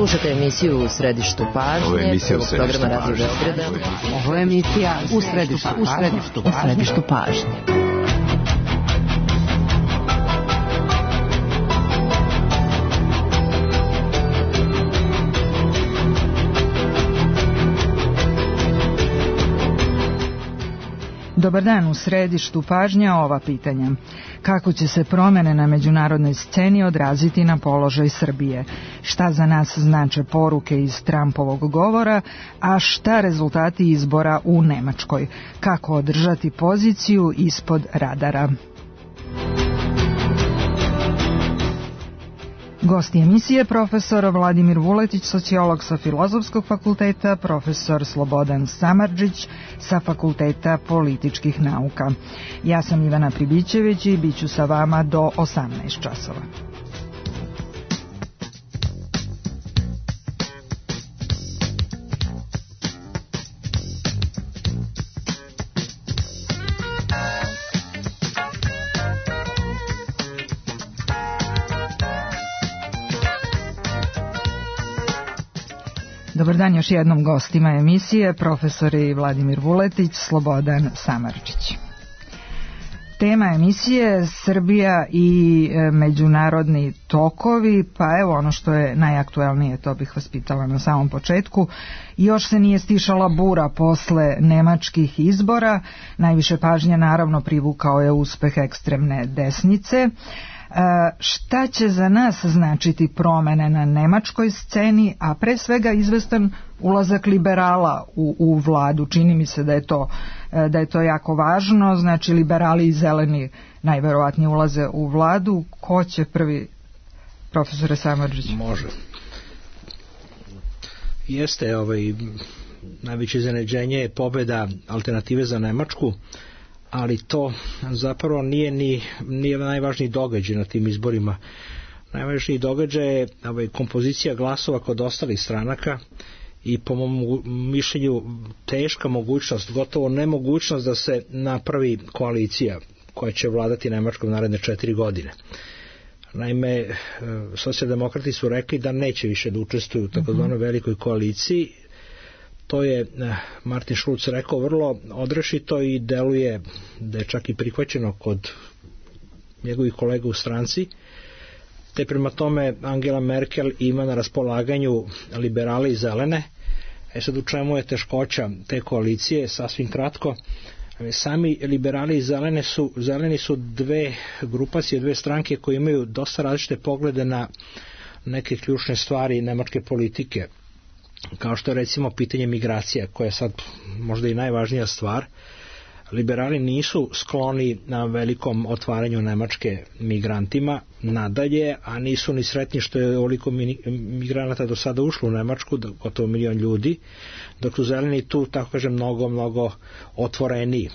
Slušate emisiju U središtu pažnje, prvog programa Radio Beograda. Ovo je emisija U središtu pažnje. Dobar dan, u središtu pažnja ova pitanja. Kako će se promene na međunarodnoj sceni odraziti na položaj Srbije? Šta za nas znače poruke iz Trumpovog govora, a šta rezultati izbora u Nemačkoj? Kako održati poziciju ispod radara? Gosti emisije profesor Vladimir Vuletić, sociolog sa Filozofskog fakulteta, profesor Slobodan Samardžić sa Fakulteta političkih nauka. Ja sam Ivana Pribićević i bit ću sa vama do 18 časova. Dobar dan još jednom gostima emisije, profesori Vladimir Vuletić, Slobodan Samardžić. Tema emisije Srbija i međunarodni tokovi, pa evo ono što je najaktuelnije, to bih vas pitala na samom početku. Još se nije stišala bura posle nemačkih izbora, najviše pažnje naravno privukao je uspeh ekstremne desnice. Šta će za nas značiti promene na nemačkoj sceni, a pre svega izvestan ulazak liberala u vladu? Čini mi se da je to jako važno, znači liberali i zeleni najverovatnije ulaze u vladu. Ko će prvi, profesore Samardžić? Može. Jeste, najveće iznenađenje je pobeda Alternative za Nemačku, ali to zapravo nije najvažniji događaj na tim izborima. Najvažniji događaj je kompozicija glasova kod ostalih stranaka i po mom mišljenju teška mogućnost, gotovo nemogućnost da se napravi koalicija koja će vladati Nemačkom naredne 4 godine. Naime, socijaldemokrati su rekli da neće više da učestvuju u takozvanoj velikoj koaliciji. To je Martin Schulz rekao vrlo odrešito i deluje da je čak i prihvaćeno kod njegovih kolega u stranci, te prema tome Angela Merkel ima na raspolaganju liberale i zelene. Sad u čemu je teškoća te koalicije? Sasvim kratko, sami liberali i zeleni su dve grupacije, dve stranke koje imaju dosta različite poglede na neke ključne stvari nemačke politike, kao što je recimo pitanje migracija, koja je sad možda i najvažnija stvar. Liberali nisu skloni na velikom otvaranju Nemačke migrantima nadalje, a nisu ni sretni što je ovoliko migranata do sada ušlo u Nemačku, gotovo 1 milion ljudi, dok su zeleni tu, tako kažem, mnogo otvoreniji.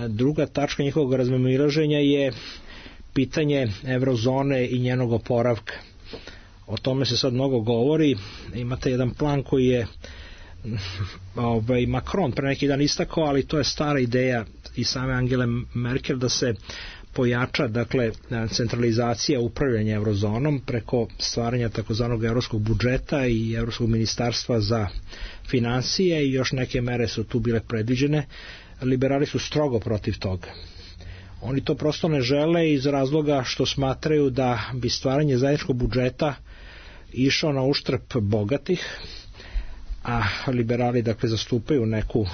Druga tačka njihovog razmimoilaženja je pitanje eurozone i njenog oporavka. O tome se sad mnogo govori. Imate jedan plan koji je Macron pre neki dan istakao, ali to je stara ideja i same Angele Merkel da se pojača, dakle, centralizacija upravljanja eurozonom preko stvaranja takozvanog evropskog budžeta i evropskog ministarstva za finansije i još neke mere su tu bile predviđene. Liberali su strogo protiv toga. Oni to prosto ne žele iz razloga što smatraju da bi stvaranje zajedničkog budžeta išao na uštrb bogatih, a liberali dakle zastupaju neku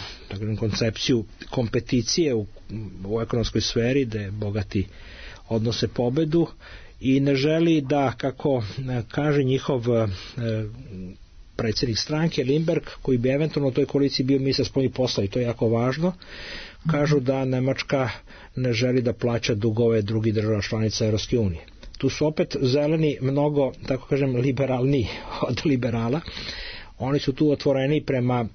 koncepciju kompeticije u ekonomskoj sferi gde bogati odnose pobedu i ne želi da, kako kaže njihov predsjednik stranke Limberg, koji bi eventualno u toj koaliciji bio ministar spoljnih poslova, i to je jako važno, kažu da Nemačka ne želi da plaća dugove drugih država članica Evropske unije. Tu su opet zeleni mnogo, tako kažem, liberalni od liberala. Oni su tu otvoreni prema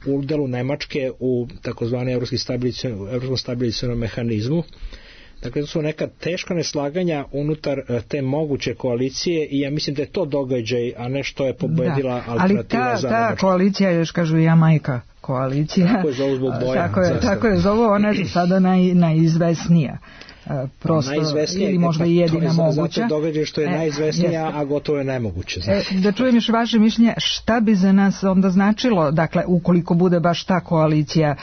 udelu Nemačke u takozvani evropskom stabilizacionom mehanizmu. Dakle, to su neka teška neslaganja unutar te moguće koalicije i ja mislim da je to događaj, a ne što je pobedila Alternativa za Nemačku. Ali ta koalicija, još kažu Jamajka koalicija, tako je zovu zbog boja. Tako je zovu, ona je sada najizvesnija. prosto ili možda i jedina moguća. Zato događaj što je najizvesnija, a gotovo je nemoguće. Da čujem još vaše mišljenje, šta bi za nas onda značilo, dakle, ukoliko bude baš ta koalicija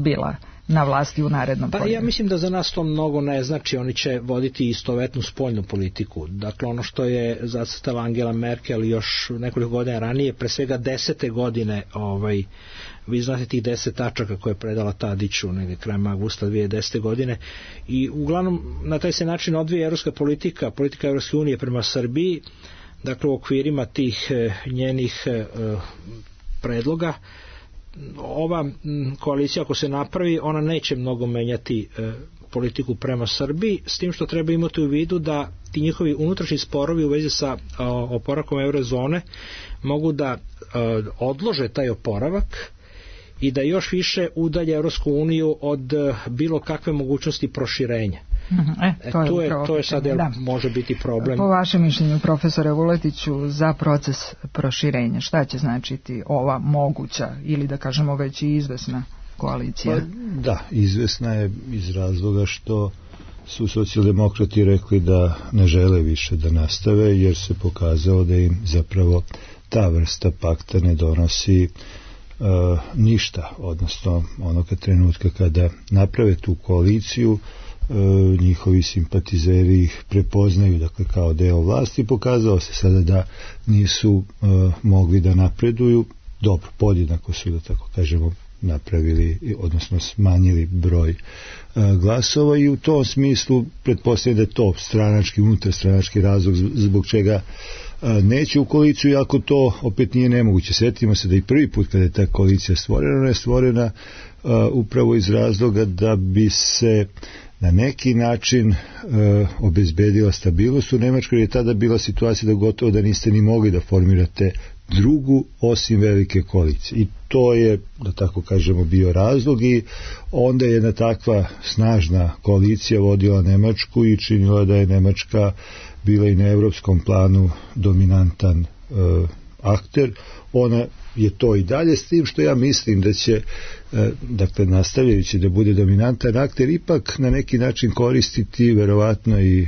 bila na vlasti u narednom periodu? Ja mislim da za nas to mnogo ne znači, oni će voditi istovetnu spoljnu politiku. Dakle, ono što je zacrtala Angela Merkel još nekoliko godina ranije, pre svega 10. godine, vi znate tih 10 tačaka koje je predala Tadiću negdje krajem avgusta 2010. godine, i uglavnom na taj se način odvija evropska politika Evropske unije prema Srbiji, dakle u okvirima tih njenih predloga. Ova koalicija, ako se napravi, ona neće mnogo menjati politiku prema Srbiji, s tim što treba imati u vidu da ti njihovi unutrašnji sporovi u vezi sa oporavkom eurozone mogu da odlože taj oporavak i da još više udalje Evropsku uniju od bilo kakve mogućnosti proširenja. To je sad može biti problem. Po vašem mišljenju, profesore Vuletiću, za proces proširenja, šta će značiti ova moguća ili da kažemo već i izvesna koalicija? Da, izvesna je iz razloga što su socijaldemokrati rekli da ne žele više da nastave, jer se pokazalo da im zapravo ta vrsta pakta ne donosi ništa, odnosno onoga trenutka kada naprave tu koaliciju, njihovi simpatizeri ih prepoznaju, dakle, kao deo vlasti. Pokazalo se sada da nisu mogli da napreduju. Dobro, podjednako su, da tako kažemo, napravili, odnosno smanjili broj glasova, i u tom smislu pretpostavljam da je to stranački, unutarstranački razlog zbog čega neće u koaliciju, iako to opet nije nemoguće. Sjetimo se da i prvi put kada je ta koalicija stvorena, ona je stvorena upravo iz razloga da bi se na neki način obezbedila stabilnost u Nemačkoj, jer je tada bila situacija da gotovo da niste ni mogli da formirate drugu osim velike koalicije. I to je, da tako kažemo, bio razlog, i onda je jedna takva snažna koalicija vodila Nemačku i činila da je Nemačka bila i na evropskom planu dominantan akter. Ona je to i dalje, s tim što ja mislim da će, dakle, nastavljajući da bude dominantan akter, ipak na neki način koristiti verovatno i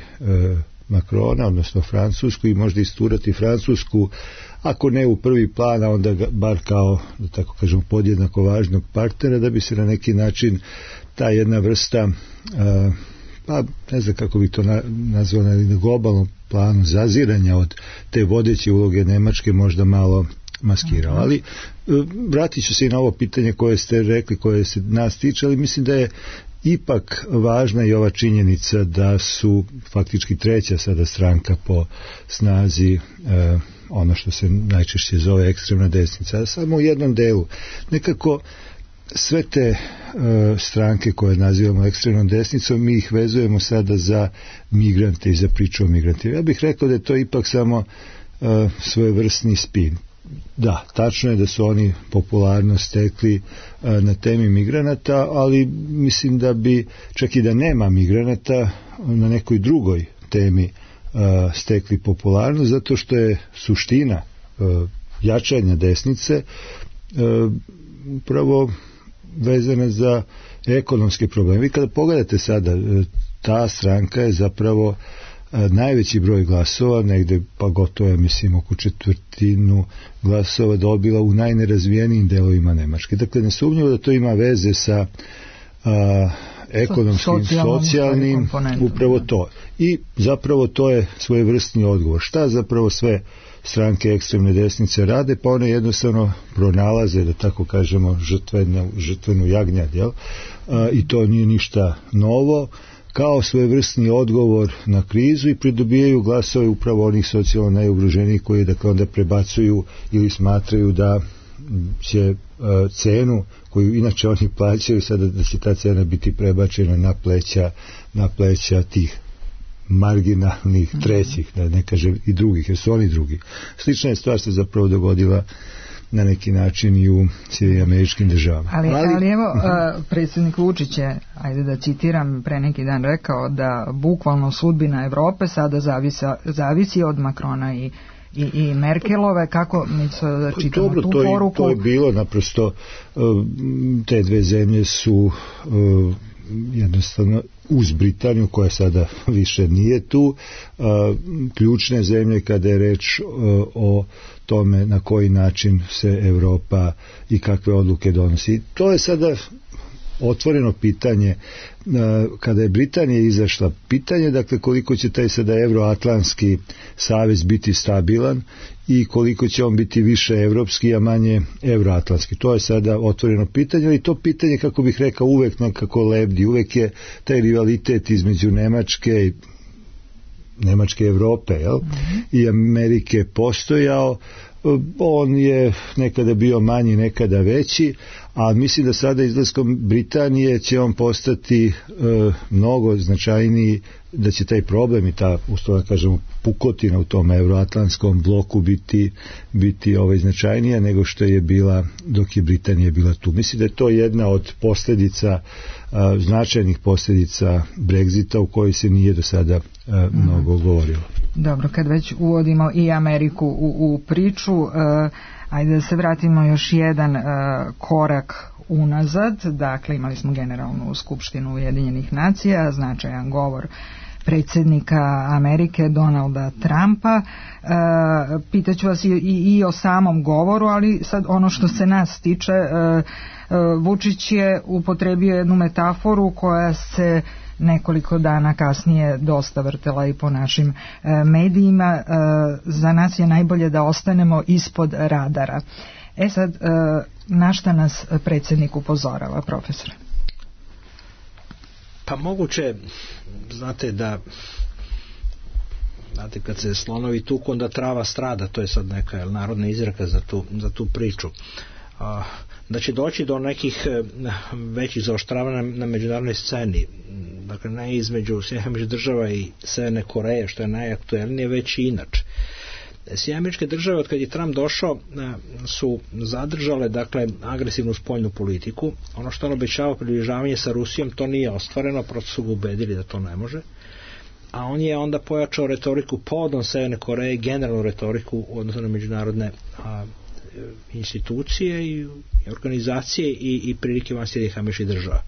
Macrona, odnosno Francusku, i možda isturati Francusku, ako ne u prvi plan, a onda bar kao, da tako kažemo, podjednako važnog partnera, da bi se na neki način ta jedna vrsta, pa ne znam kako bi to nazvao, na globalnom planu zaziranja od te vodeće uloge Nemačke možda malo maskirao. Ali vratit ću se i na ovo pitanje koje ste rekli, koje se nas tiče, ali mislim da je ipak važna i ova činjenica da su faktički treća sada stranka po snazi ono što se najčešće zove ekstremna desnica, a samo u jednom delu. Nekako sve te stranke koje nazivamo ekstremnom desnicom, mi ih vezujemo sada za migrante i za priču o migrantima. Ja bih rekao da je to ipak samo svojevrsni spin. Da, tačno je da su oni popularno stekli na temi migranata, ali mislim da bi, čak i da nema migranata, na nekoj drugoj temi stekli popularnost, zato što je suština jačanja desnice upravo vezana za ekonomske probleme. Vi kada pogledate sada, ta stranka je zapravo najveći broj glasova, negde pa gotovo, mislim, oko četvrtinu glasova dobila u najnerazvijenijim delovima Nemačke. Dakle, nesumnjivo da to ima veze sa ekonomskim, socijalnim, upravo to. I zapravo to je svojevrsni odgovor. Šta zapravo sve stranke ekstremne desnice rade? Pa one jednostavno pronalaze, da tako kažemo, žrtvenu jagnjad, jel? I to nije ništa novo, kao svojevrsni odgovor na krizu, i pridobijaju glasove upravo onih socijalno najugroženijih koji, dakle, onda prebacuju ili smatraju da će cenu koju inače oni plaćaju sada, da će ta cena biti prebačena na pleća tih marginalnih trećih, da ne kažem i drugih, jer su oni drugi. Slična je stvar se zapravo dogodila na neki način i u Sjedinjenim Državama. Ali evo, predsjednik Vučić je, ajde da citiram, pre neki dan rekao da bukvalno sudbina Evrope sada zavisi od Macrona i Merkelove. Kako mi da čitamo tu poruku? To je bilo naprosto, te dve zemlje su jednostavno uz Britaniju koja sada više nije tu, ključne zemlje kada je reč o tome na koji način se Evropa i kakve odluke donosi. To je sada otvoreno pitanje. Kada je Britanija izašla, pitanje dakle koliko će taj sada Euroatlantski savez biti stabilan i koliko će on biti više evropski, a manje euroatlantski. To je sada otvoreno pitanje, ali to pitanje, kako bih rekao, uvek nekako lebdi, uvek je taj rivalitet između Nemačke Evrope, jel? I Amerike postojao. On je nekada bio manji, nekada veći, a mislim da sada izlaskom Britanije će on postati mnogo značajniji, da će taj problem i ta, ustavno kažemo, pukotina u tom euroatlantskom bloku biti značajnija nego što je bila dok je Britanija bila tu. Mislim da je to jedna od posljedica, značajnih posljedica Brexita u kojoj se nije do sada mnogo govorilo. Dobro, kad već uvodimo i Ameriku u priču, ajde da se vratimo još jedan korak unazad. Dakle, imali smo Generalnu skupštinu Ujedinjenih nacija, značajan govor predsjednika Amerike Donalda Trumpa. Pitaću vas i o samom govoru, ali sad ono što se nas tiče, Vučić je upotrebio jednu metaforu koja se nekoliko dana kasnije dosta vrtela i po našim medijima. Za nas je najbolje da ostanemo ispod radara. Sad, na šta nas predsjednik upozorava, profesore? Pa moguće, znate kad se slonovi tuku, onda trava strada, to je sad neka narodna izreka za tu priču. Da će doći do nekih većih zaoštravanja na međunarodnoj sceni, dakle ne između Sjedinjenih Država i Severne Koreje, što je najaktuelnije, već i inače. Sjedinjene Države, od kad je Trump došao, su zadržale dakle agresivnu spoljnu politiku. Ono što on obećava, približavanje sa Rusijom, to nije ostvareno, prosto su ga ubedili da to ne može. A on je onda pojačao retoriku povodom Severne Koreje, generalnu retoriku u odnosu na međunarodne institucije i organizacije i prilike van Sjedinjenih Američkih Država.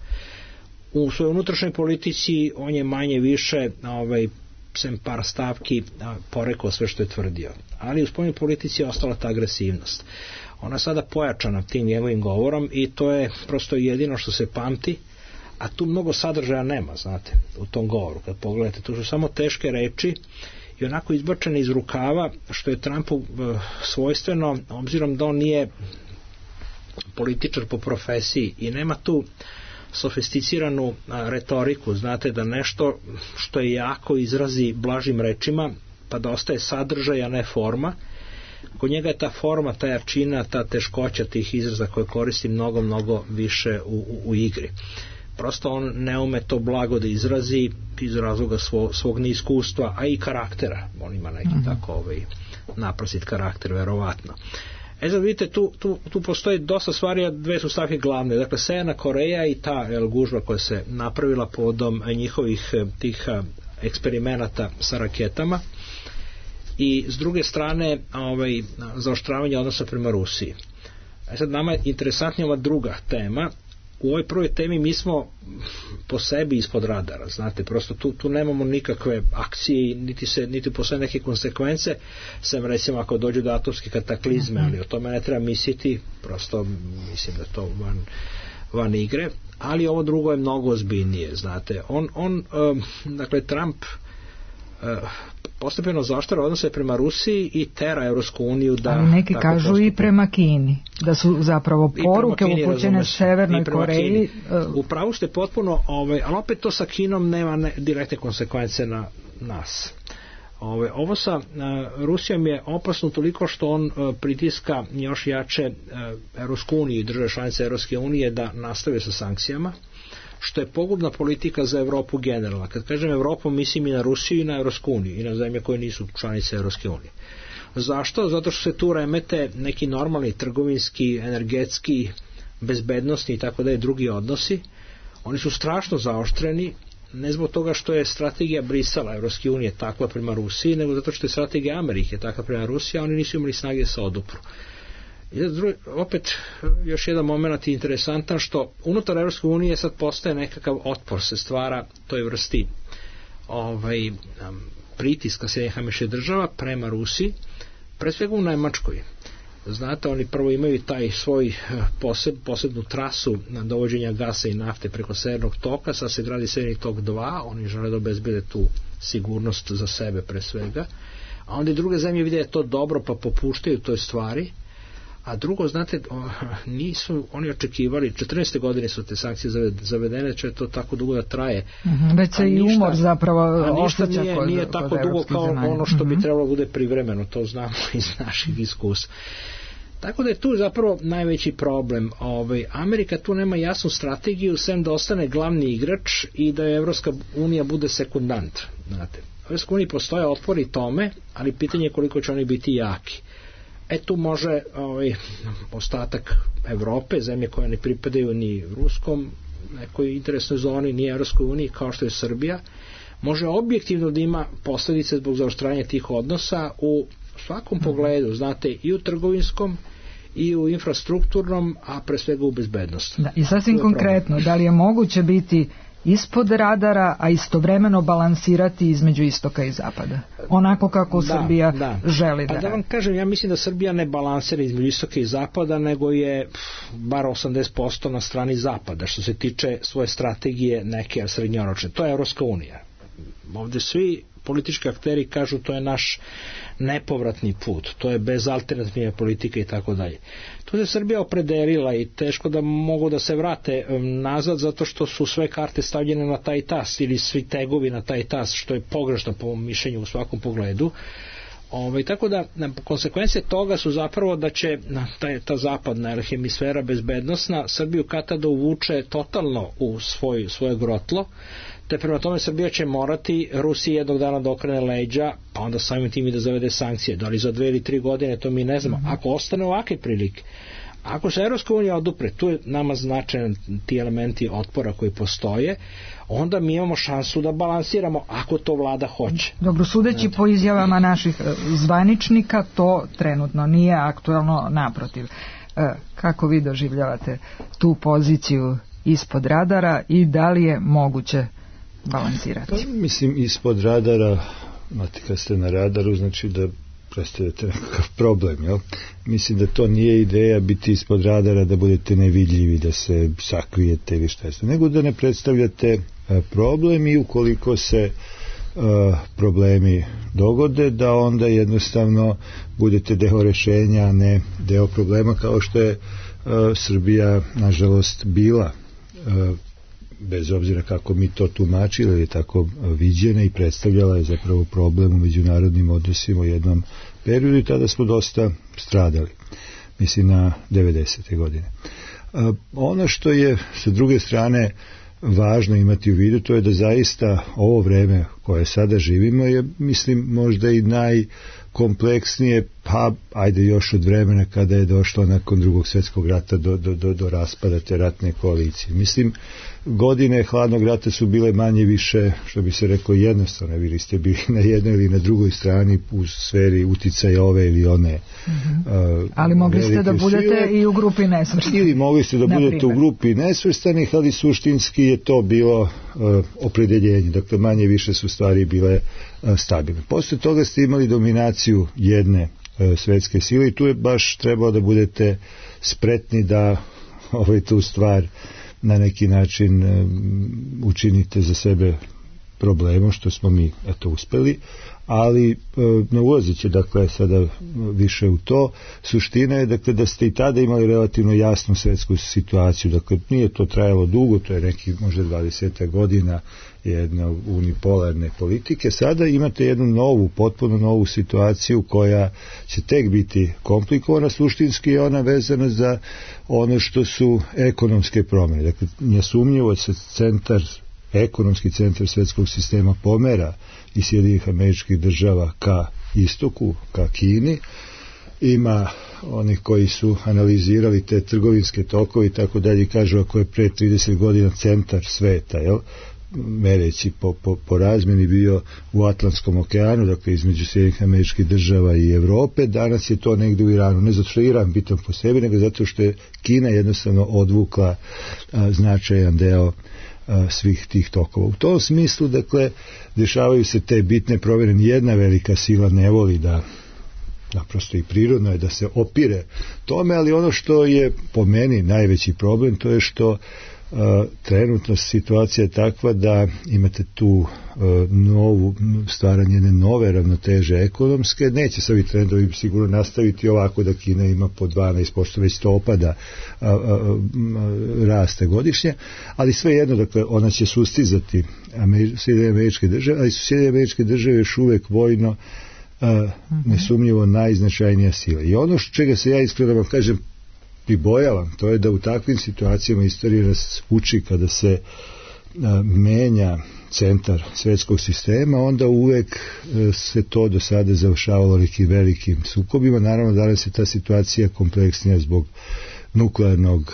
U svojoj unutrašnjoj politici on je manje više sem par stavki porekao sve što je tvrdio. Ali u spoljnoj politici je ostala ta agresivnost. Ona je sada pojačana tim njegovim govorom i to je prosto jedino što se pamti, a tu mnogo sadržaja nema, znate, u tom govoru. Kad pogledate, tu su samo teške reči i onako izbačene iz rukava, što je Trumpu svojstveno, obzirom da on nije političar po profesiji i nema tu sofisticiranu retoriku, znate, da nešto što je jako izrazi blažim rečima, pa da ostaje sadržaj, a ne forma. Kod njega je ta forma, ta jačina, ta teškoća tih izraza koje koristi mnogo više u igri. Prosto on ne ume to blago da izrazi iz razloga svog neiskustva, a i karaktera. On ima neki tako naprosit karakter, verovatno. Sad vidite, tu postoji dosta stvari, a dve su stavke glavne. Dakle, Severna Koreja i ta gužva koja se napravila povodom njihovih tih eksperimenata sa raketama, i s druge strane zaoštravanje odnosa prema Rusiji. Sad nama je interesantnija ova druga tema. U ovoj prvoj temi mi smo po sebi ispod radara, znate, prosto tu nemamo nikakve akcije, niti postoje neke konsekvence, sem recimo ako dođu do atomske kataklizme, ali o tome ne treba misliti, prosto mislim da to van igre, ali ovo drugo je mnogo ozbiljnije, znate. Dakle, Trump postepeno zaoštrava odnose prema Rusiji i tera Evropsku uniju da... Ali neki kažu i prema Kini, da su zapravo poruke upućene Severnoj Koreji. U pravu ste potpuno, ali opet to sa Kinom nema direktne konsekvence na nas. Ovo sa Rusijom je opasno toliko što on pritiska još jače Evropsku uniju i države članice Evropske unije da nastave sa sankcijama, što je pogubna politika za Evropu generalno. Kad kažem Evropu, mislim i na Rusiju i na Evropsku uniju i na zemlje koje nisu članice Evropske unije. Zašto? Zato što se tu remete neki normalni trgovinski, energetski, bezbednosni i tako da je drugi odnosi. Oni su strašno zaoštreni, ne zbog toga što je strategija Brisela Evropske unije takva prema Rusiji, nego zato što je strategija Amerike takva prema Rusiji, a oni nisu imali snage da se odupru. Opet još jedan moment interesantan, što unutar Evropske unije sad postaje nekakav otpor, se stvara toj vrsti pritiska Sjedinjenih Američkih Država prema Rusiji, pre svega u Nemačkoj. Znate, oni prvo imaju taj svoj posebnu trasu na dovođenja gasa i nafte preko Severnog toka, sad se gradi Severni tok 2, oni žele da obezbede tu sigurnost za sebe pre svega, a onda i druge zemlje vide to dobro pa popuštaju toj stvari. A drugo, znate, nisu oni očekivali, 14. godine su te sankcije zavedene, će to tako dugo da traje. Već se i umor zapravo ošteća nije tako dugo kao ono što bi trebalo bude privremeno, to znamo iz naših iskustva. Tako da je tu zapravo najveći problem. Amerika tu nema jasnu strategiju, sem da ostane glavni igrač i da je Evropska unija bude sekundant. Znate, u Evropskoj uniji postoje otpori tome, ali pitanje je koliko će oni biti jaki. Tu može ostatak Evrope, zemlje koje ne pripadaju ni ruskom nekoj interesnoj zoni, ni Evropskoj uniji, kao što je Srbija, može objektivno da ima posledice zbog zaoštravanja tih odnosa u svakom pogledu, znate, i u trgovinskom i u infrastrukturnom, a pre svega u bezbednosti. I sasvim konkretno, da li je moguće biti ispod radara, a istovremeno balansirati između istoka i zapada? Onako kako Srbija želi da radi. Da vam kažem, ja mislim da Srbija ne balansira između istoka i zapada, nego je bar 80% na strani zapada, što se tiče svoje strategije neke srednjoročne. To je Evropska unija. Ovde svi politički akteri kažu to je naš nepovratni put, to je bez alternativne politike i tako dalje. Tu se Srbija opredelila i teško da mogu da se vrate nazad, zato što su sve karte stavljene na taj tas ili svi tegovi na taj tas, što je pogrešno po mišljenju u svakom pogledu. Tako da konsekvencije toga su zapravo da će ta zapadna hemisfera bezbednosna Srbiju kada da uvuče totalno u svoje grotlo, te prema tome Srbija će morati Rusiji jednog dana da okrene leđa, pa onda samim tim i da zavede sankcije. Da li za 2 ili 3 godine, to mi ne znamo. Ako ostane ovakve prilike, ako se Evropska unija odupre, tu je nama značajan ti elementi otpora koji postoje, onda mi imamo šansu da balansiramo, ako to vlada hoće. Dobro, sudeći po izjavama naših zvaničnika, to trenutno nije aktuelno, naprotiv. Kako vi doživljavate tu poziciju ispod radara i da li je moguće balansirati? Mislim, ispod radara, kad ste na radaru, znači da predstavljate nekakav problem, jel? Mislim da to nije ideja biti ispod radara, da budete nevidljivi, da se sakrijete ili šta je, nego da ne predstavljate problem i ukoliko se problemi dogode, da onda jednostavno budete deo rešenja, a ne deo problema, kao što je Srbija nažalost bila, bez obzira kako mi to tumačili, ili tako viđena i predstavljala je zapravo problem u međunarodnim odnosima u jednom periodu i tada smo dosta stradali, mislim na 90. godine. Ono što je sa druge strane važno imati u vidu, to je da zaista ovo vreme koje sada živimo je, mislim, možda i najkompleksnije, pa ajde još od vremena kada je došlo nakon Drugog svjetskog rata do raspada te ratne koalicije. Mislim, godine hladnog rata su bile manje više, što bi se reklo, jednostavno, vi ste bili na jednoj ili na drugoj strani u sferi uticaja ove ili one. Ali mogli ste da budete i u grupi nesvrstanih. Ili mogli ste da budete u grupi nesvrstanih, ali suštinski je to bilo opredeljenje. Dakle, manje više su stvari bile stabilne. Posle toga ste imali dominaciju jedne svetske sile i tu je baš trebalo da budete spretni da tu stvar na neki način učinite za sebe problemom, što smo mi uspeli, ali ne ulazeći dakle sada više u to, suština je dakle da ste i tada imali relativno jasnu svetsku situaciju, dakle nije to trajalo dugo, to je neki možda 20 godina jedna unipolarne politike. Sada imate jednu novu, potpuno novu situaciju koja će tek biti komplikovana, suštinski je ona vezana za ono što su ekonomske promjene. Dakle, nesumnjivo se ekonomski centar svetskog sistema pomera iz Sjedinjenih Američkih Država ka istoku, ka Kini. Ima onih koji su analizirali te trgovinske tokove i tako dalje, kažu ako je pre 30 godina centar sveta, mereći po razmjeni bio u Atlantskom okeanu, dakle između Sjedinjenih Američkih Država i Evrope. Danas je to negde u Iranu, ne zato što je Iran bitan po sebi, nego zato što je Kina jednostavno odvukla značajan deo svih tih tokova. U tom smislu, dakle, dešavaju se te bitne promjene. Nijedna velika sila ne voli da, naprosto i prirodno je da se opire tome, ali ono što je po meni najveći problem, to je što trenutno situacija je takva da imate tu novu stvaranje jedne nove ravnoteže ekonomske. Neće se ovi trendovi sigurno nastaviti ovako da Kina ima po 12%, već to opada raste godišnje, ali svejedno, dakle, ona će sustizati Sjedinjene Američke Države, ali su Sjedinjene Američke Države još uvek vojno nesumnjivo najznačajnija sila. I ono čega se ja iskreno vam kažem pribojavam, to je da u takvim situacijama istorija nas uči kada se menja centar svjetskog sistema, onda uvek se to do sada završavalo nekim velikim sukobima. Naravno, danas je ta situacija kompleksnija zbog nuklearnog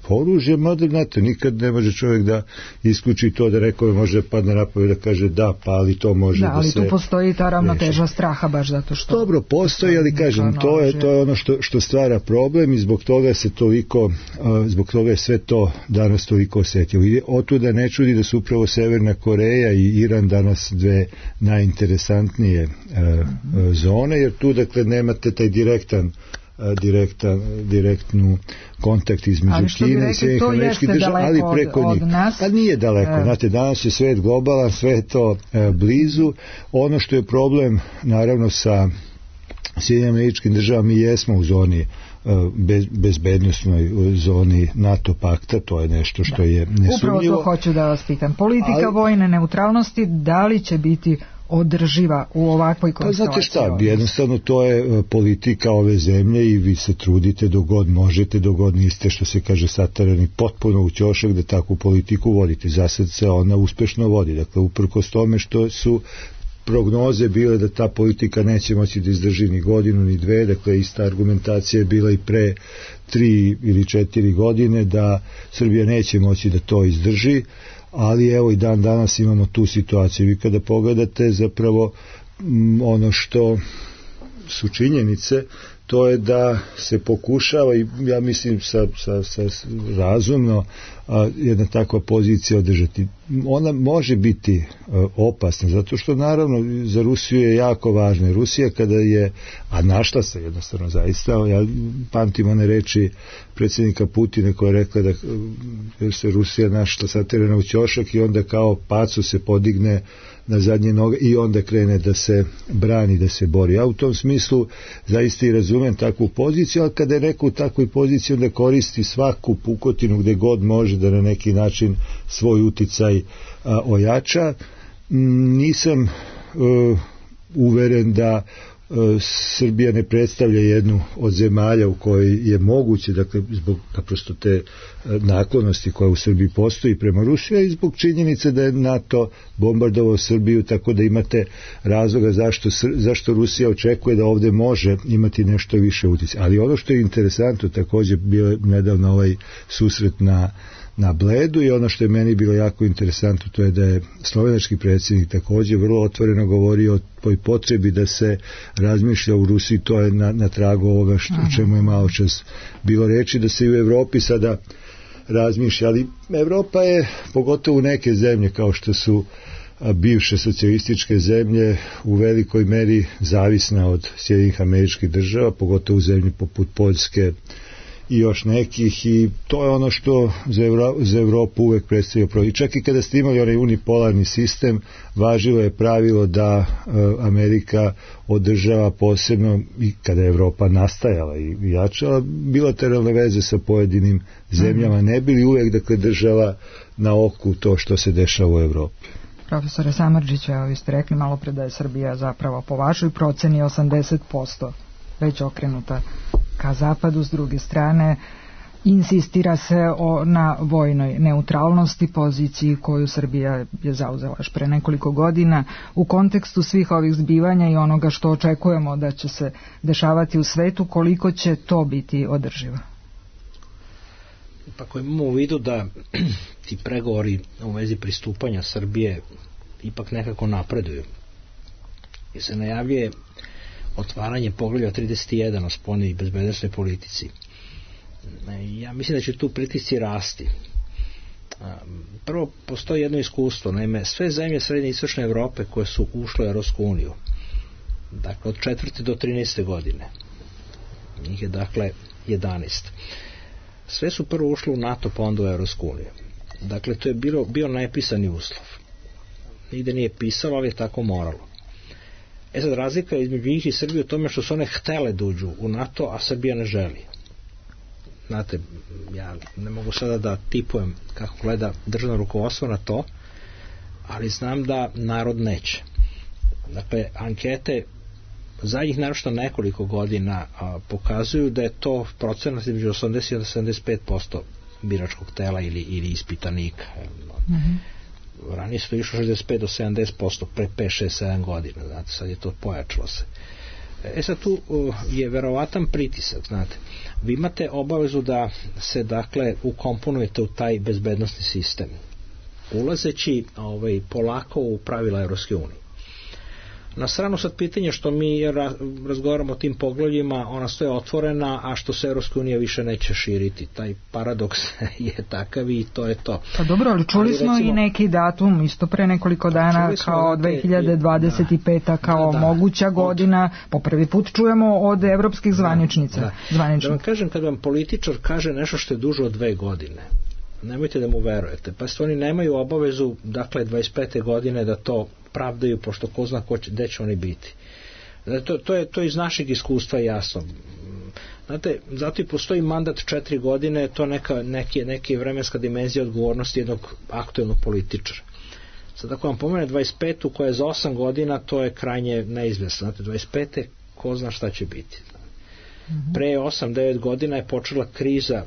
oružja, mada znate, nikad ne može čovjek da isključi to, da neko može padne na pamet da kaže da, pa ali to može da se... Da, ali tu postoji ta ravnoteža straha baš zato što... Dobro, postoji, ali kažem, to je ono što stvara problem i zbog toga se toliko, zbog toga je sve to danas toliko osjetilo. I otuda ne čudi da su upravo Severna Koreja i Iran danas dve najinteresantnije zone, jer tu, dakle, nemate taj direktnu kontakt između Kine i Sjedinjenih Američkih Država, ali preko njih. Pa nije daleko, znate, danas je svet globalan, sve je to blizu. Ono što je problem, naravno, sa Sjedinjenim Američkim Državama, mi jesmo u zoni bezbednosnoj zoni NATO pakta, to je nešto što je nesumnjivo. Upravo to hoću da vas pitam. Politika vojne neutralnosti, da li će biti održiva u ovakvoj konstelaciji? Pa znate šta, jednostavno to je politika ove zemlje i vi se trudite dok god možete, dok god niste, što se kaže, satarani potpuno u ćošak da takvu politiku vodite. Zasad se ona uspešno vodi. Dakle, uprkos tome što su prognoze bile da ta politika neće moći da izdrži ni godinu ni dve, dakle ista argumentacija je bila i pre 3 ili 4 godine da Srbija neće moći da to izdrži, ali evo i dan danas imamo tu situaciju. Vi kada pogledate zapravo ono što su činjenice, to je da se pokušava, i ja mislim sa razumno, jedna takva pozicija održati. Ona može biti opasna, zato što naravno za Rusiju je jako važno. Rusija kada je, a našla se jednostavno zaista, ja pamtim one reči predsjednika Putina koja je rekla da se Rusija našla satirana u ćošak i onda kao pacu se podigne na zadnje noge i onda krene da se brani, da se bori. Ja u tom smislu zaista i razumem takvu poziciju, ali kada je neko u takvoj poziciji onda koristi svaku pukotinu gde god može da na neki način svoj uticaj ojača. Nisam uveren da Srbija ne predstavlja jednu od zemalja u kojoj je moguće, dakle, zbog naprosto te naklonosti koja u Srbiji postoji prema Rusiji i zbog činjenice da je NATO bombardovao Srbiju, tako da imate razloga zašto Rusija očekuje da ovde može imati nešto više utjecaja. Ali ono što je interesantno, također bio je nedavno ovaj susret na Bledu i ono što je meni bilo jako interesantno, to je da je slovenački predsjednik također vrlo otvoreno govorio o toj potrebi da se razmišlja u Rusiji, to je na tragu ovoga o čemu je malo čas bilo reči, da se i u Evropi sada razmišlja, ali Evropa je, pogotovo neke zemlje kao što su bivše socijalističke zemlje, u velikoj meri zavisna od Sjedinjenih Američkih Država, pogotovo u zemlji poput Poljske i još nekih, i to je ono što za Evropu uvek predstavlja problem. I čak i kada ste imali onaj unipolarni sistem, važilo je pravilo da Amerika održava posebno, i kada je Evropa nastajala i jačala, bilateralne veze sa pojedinim zemljama, ne bili uvek, dakle, država na oku to što se dešava u Evropi. Profesore Samardžiću, evo vi ste rekli malo pre da je Srbija zapravo po vašoj proceni 80% već okrenuta ka zapadu, s druge strane insistira se na vojnoj neutralnosti, poziciji koju Srbija je zauzela još pre nekoliko godina. U kontekstu svih ovih zbivanja i onoga što očekujemo da će se dešavati u svetu, koliko će to biti održivo? Ako imamo u vidu da ti pregovori u vezi pristupanja Srbije ipak nekako napreduju i se najavljuje otvaranje poglavlja 31 o spoljnoj i bezbednosnoj politici, ja mislim da će tu pritisci rasti. Prvo, postoji jedno iskustvo, naime, sve zemlje srednje i istočne Evrope koje su ušle u Europsku uniju, dakle od 4. do 13. godine, njih je dakle 11, sve su prvo ušle u NATO pa onda u Europsku uniju. Dakle, to je bio nepisani uslov, nigde nije pisalo, ali je tako moralo. Sad, razlika između njih i Srbije u tome što su one htele da uđu u NATO, a Srbija ne želi. Znate, ja ne mogu sada da tipujem kako gleda državno rukovodstvo na to, ali znam da narod neće. Dakle, ankete zadnjih naročito nekoliko godina pokazuju da je to procenat između 80 i 75% biračkog tela ili ispitanika. Ranije su to išlo 65 do 70% pre 5, 6, 7 godina, znate, sad je to pojačalo se. Sad tu je verovatan pritisak, znate. Vi imate obavezu da se, dakle, ukomponujete u taj bezbednosni sistem, ulazeći polako u pravila Evropske unije. Na stranu sad pitanje što mi razgovaramo o tim poglavljima, ona stoje otvorena, a što se Evropska unija više neće širiti. Taj paradoks je takav i to je to. Pa dobro, ali čuli smo recimo, i neki datum isto pre nekoliko dana kao 2025. kao moguća godina. Po prvi put čujemo od evropskih zvaničnica. Da vam kažem, kad vam političar kaže nešto što je duže od 2 godine, nemojte da mu verujete. Pa oni nemaju obavezu, dakle, 25. godine da to pravdaju, pošto ko zna gde će oni biti. To je iz našeg iskustva jasno. Znate, zato i postoji mandat 4 godine, to neka vremenska dimenzija odgovornosti jednog aktuelnog političara. Sad ako vam pomene 25. koja je za 8 godina, to je krajnje neizvesno. Znate, 25. ko zna šta će biti. Pre 8-9 godina je počela kriza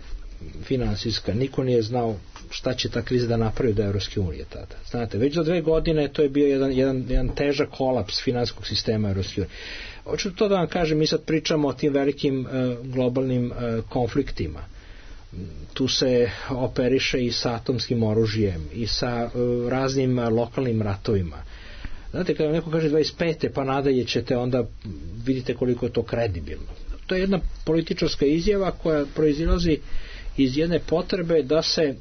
finansijska, niko nije znao šta će ta kriza da napravi do Evropske unije tada. Znate, već za 2 godine to je bio jedan težak kolaps finansijskog sistema Evropske unije. Hoću to da vam kažem, mi sad pričamo o tim velikim globalnim konfliktima. Tu se operiše i sa atomskim oružjem i sa raznim lokalnim ratovima. Znate, kada neko kaže 25. pa nadalje ćete, onda vidite koliko je to kredibilno. To je jedna političarska izjava koja proizilazi iz jedne potrebe da se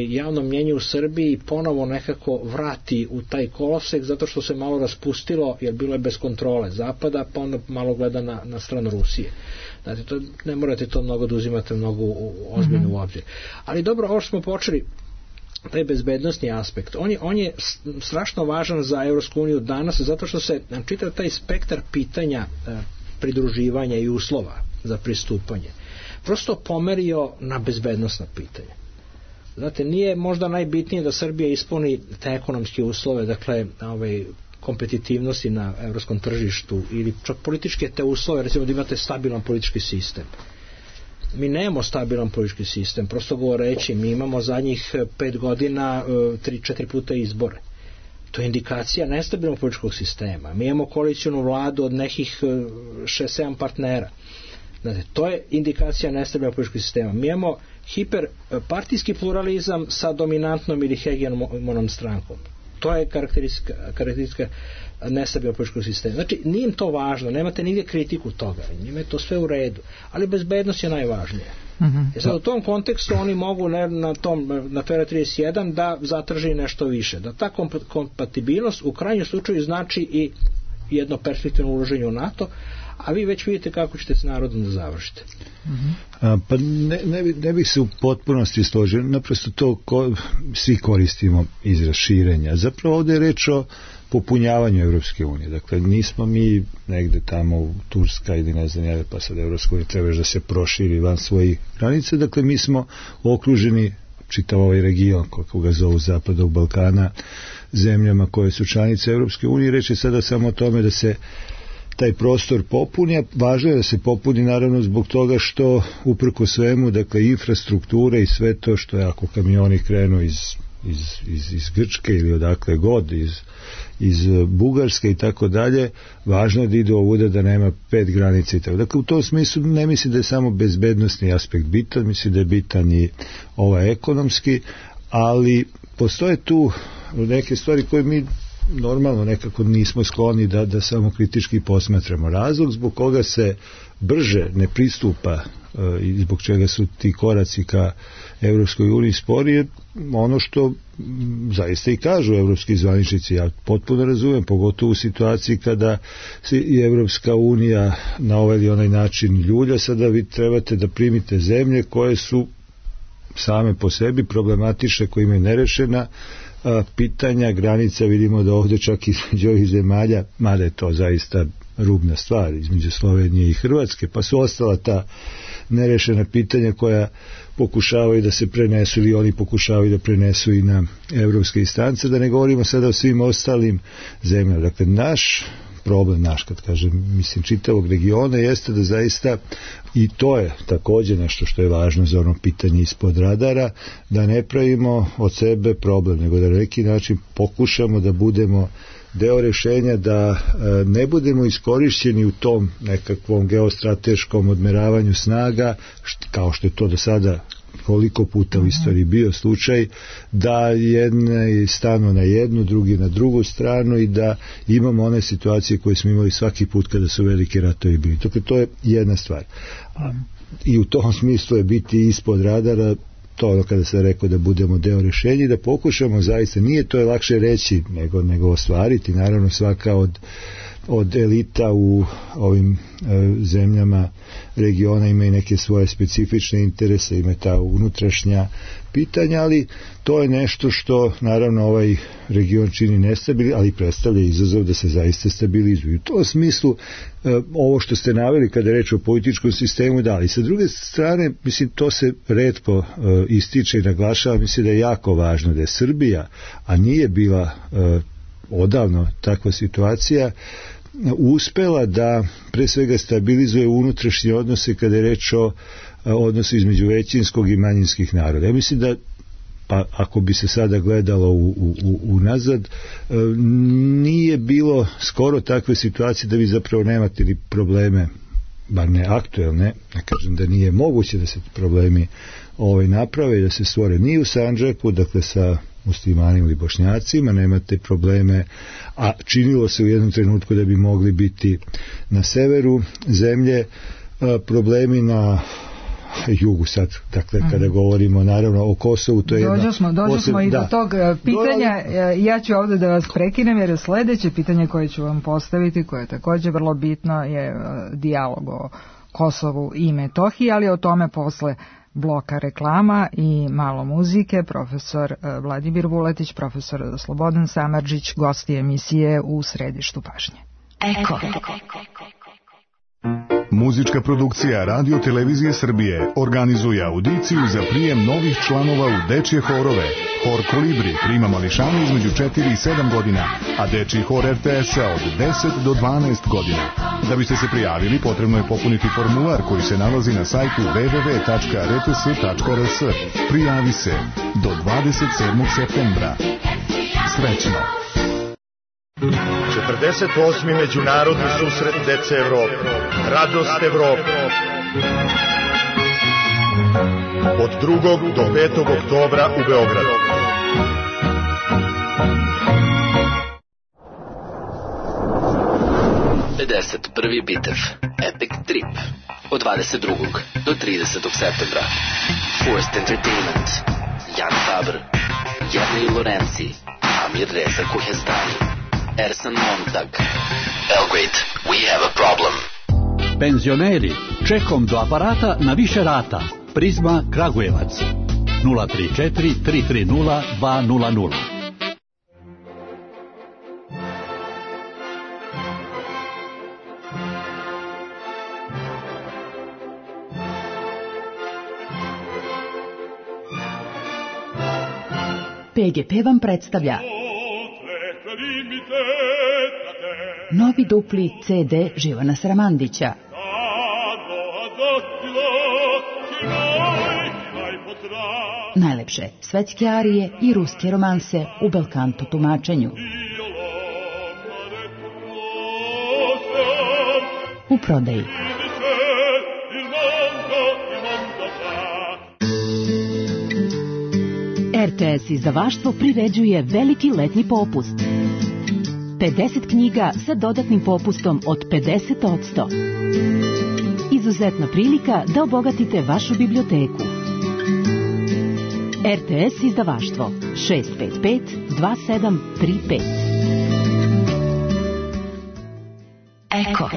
javno mnjenje u Srbiji ponovo nekako vrati u taj kolosek, zato što se malo raspustilo, jer bilo je bez kontrole Zapada, pa onda malo gleda na stranu Rusije. Znate, ne morate to mnogo da uzimate mnogo ozbiljno u obzir. Ali dobro, ovo što smo počeli, taj bezbednosni aspekt, on je strašno važan za Evropsku uniju danas, zato što se čitav taj spektar pitanja pridruživanja i uslova za pristupanje prosto pomerio na bezbednosna pitanja. Znate, nije možda najbitnije da Srbija ispuni te ekonomske uslove, dakle, kompetitivnosti na evropskom tržištu ili čak političke te uslove, recimo da imate stabilan politički sistem. Mi nemamo stabilan politički sistem, prosto govoreći, mi imamo zadnjih 5 godina 3-4 puta izbore. To je indikacija nestabilnog političkog sistema. Mi imamo koalicijonu vladu od nekih 6-7 partnera. Znate, to je indikacija nestabilnog političkog sistema. Mi imamo hiperpartijski pluralizam sa dominantnom ili hegemonom strankom. To je karakteristika nestabilnog političkog sistema. Znači, nije im to važno, nemate nigdje kritiku toga, njima je to sve u redu, ali bezbednost je najvažnija. Sad u tom kontekstu oni mogu na Fera 31 da zatraži nešto više, da ta kompatibilnost u krajnjem slučaju znači i jedno perspektivno uloženje u NATO, a vi već vidite kako ćete s narodom da završite. Pa ne bih se u potpunosti složio, naprosto to svi koristimo izraz širenja. Zapravo ovdje je reč o popunjavanju Evropske unije. Dakle, nismo mi negde tamo u Turska ili ne znam, pa sad Evropska unija treba da se proširi van svojih granica. Dakle, mi smo okruženi čitav ovaj region, kako ga zovu Zapadnog Balkana, zemljama koje su članice Evropske unije. Reč je sada samo o tome da se taj prostor popuni, a važno je da se popuni naravno zbog toga što uprko svemu, dakle, infrastrukture i sve to što je, ako kamioni krenu iz iz Grčke ili odakle god, iz Bugarske i tako dalje, važno je da idu ovuda, da nema 5 granica i tako. Dakle, u tom smislu ne mislim da je samo bezbednosni aspekt bitan, mislim da je bitan i ekonomski, ali postoje tu neke stvari koje mi normalno nekako nismo skloni da samo kritički posmatramo. Razlog zbog koga se brže ne pristupa i zbog čega su ti koraci ka Evropskoj uniji sporije, ono što zaista i kažu evropski zvaničnici, ja potpuno razumem, pogotovo u situaciji kada se i Evropska unija na ovaj ili onaj način ljulja, sada vi trebate da primite zemlje koje su same po sebi problematične, koje imaju nerešena pitanja, granica, vidimo da ovdje čak između ovih zemalja, mada je to zaista rubna stvar, između Slovenije i Hrvatske, pa su ostala ta nerešena pitanja koja pokušavaju da se prenesu ili oni pokušavaju da prenesu i na evropske instance, da ne govorimo sada o svim ostalim zemljama. Dakle, naš problem, kad kažem, mislim, čitavog regiona jeste da zaista, i to je također nešto što je važno za ono pitanje ispod radara, da ne pravimo od sebe problem, nego da na neki način pokušamo da budemo deo rešenja, da ne budemo iskorišćeni u tom nekakvom geostrateškom odmeravanju snaga, kao što je to do sada koliko puta u istoriji bio slučaj, da jedne stanu na jednu, drugi na drugu stranu i da imamo one situacije koje smo imali svaki put kada su veliki ratovi bili. To je jedna stvar. I u tom smislu je biti ispod radara, to ono kada se rekao da budemo deo rešenja i da pokušamo zaista, nije to je lakše reći nego ostvariti, naravno svaka od elita u ovim zemljama regiona ima i neke svoje specifične interese, ima ta unutrašnja pitanja, ali to je nešto što naravno ovaj region čini nestabilni, ali predstavlja izazov da se zaista stabilizuju. U tom smislu ovo što ste naveli kada je reč o političkom sistemu, da, ali sa druge strane, mislim, to se retko ističe i naglašava, mislim da je jako važno da je Srbija, a nije bila odavno takva situacija, uspela da pre svega stabilizuje unutrašnje odnose kada je reč o odnosu između većinskog i manjinskih naroda. Ja mislim da, pa ako bi se sada gledalo unazad, nije bilo skoro takve situacije da vi zapravo nemate ni probleme, bar ne aktuelne, ne kažem da nije moguće da se problemi naprave i da se stvore ni u Sandžaku, dakle sa muslimanima ili bošnjacima, nemate probleme, a činilo se u jednom trenutku da bi mogli biti na severu zemlje, problemi na jugu sad, dakle kada govorimo naravno o Kosovu, to je dođo smo i do tog pitanja. Ja ću ovdje da vas prekinem jer je sljedeće pitanje koje ću vam postaviti, koje je također vrlo bitno, je dijalog o Kosovu i Metohiji, ali o tome posle bloka reklama i malo muzike. Profesor Vladimir Vuletić, profesor Slobodan Samardžić, gosti emisije U središtu pažnje. Eko. Muzička produkcija Radio Televizije Srbije organizuje audiciju za prijem novih članova u dečje horove. Hor Kolibri prima mališane između 4 i 7 godina, a dečji hor RTS-a od 10 do 12 godina. Da biste se prijavili, potrebno je popuniti formular koji se nalazi na sajtu www.rts.rs. Prijavi se do 27. septembra. Srećno! 48. međunarodni susret dece Evrope. Radost Evrope. Od 2. do 5. oktobra u Beogradu. Prvi bitev Epic Trip od 22. do 30. septembra. Forced Entertainment, Jan Faber, Jernej Lorenzi, Amir Reza Kuhezdani, Ersan Montag. Belgrade, we have a problem. Penzioneri, čekom do aparata na više rata. Prizma Kragujevac 034 330 200. PGP vam predstavlja novi dupli CD Živana Sramandića. Najlepša najlepše svetske arije i ruske romanse u belkanto tumačenju. U prodaji. RTS izdavaštvo priređuje veliki letnji popust. 50 knjiga sa dodatnim popustom od 50%. Izuzetna prilika da obogatite vašu biblioteku. RTS izdavaštvo 655 2735. Eko.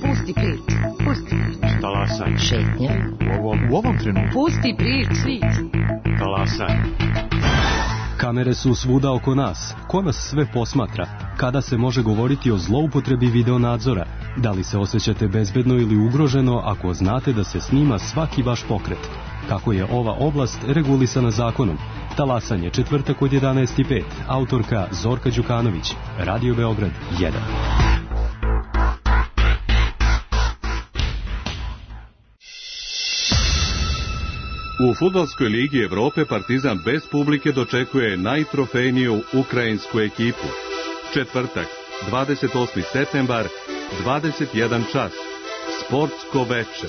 Pusti priču. Pusti priču. Talasaj. Šetnja. U ovom trenutku. Pusti priču. Talasaj. Kamere su svuda oko nas. Ko nas sve posmatra? Kada se može govoriti o zloupotrebi videonadzora? Da li se osjećate bezbedno ili ugroženo ako znate da se snima svaki vaš pokret? Kako je ova oblast regulisana zakonom? Talasanje, četvrtak od 11:05. Autorka Zorka Đukanović. Radio Beograd 1. U Fudbalskoj ligi Evrope Partizan bez publike dočekuje najtrofejniju ukrajinsku ekipu. Četvrtak, 28. septembar, 21 čas. Sportsko veče.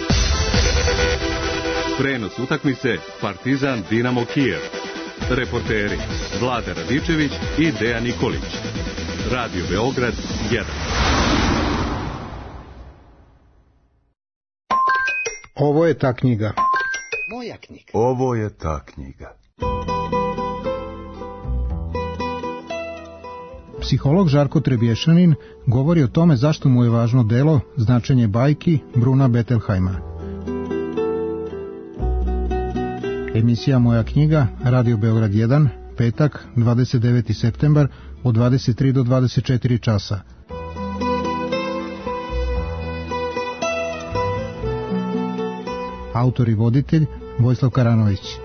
Prenos utakmice Partizan Dinamo Kijev. Reporteri Vlada Radičević i Dejan Nikolić. Radio Beograd 1. Ovo je ta knjiga. Moja knjiga. Ovo je ta knjiga. Psiholog Žarko Trebješanin govori o tome zašto mu je važno delo Značenje bajki Bruna Bettelheima. Emisija Moja knjiga, Radio Beograd 1, petak, 29. septembar, od 23 do 24 časa. Autor i voditelj Vojislav Karanović.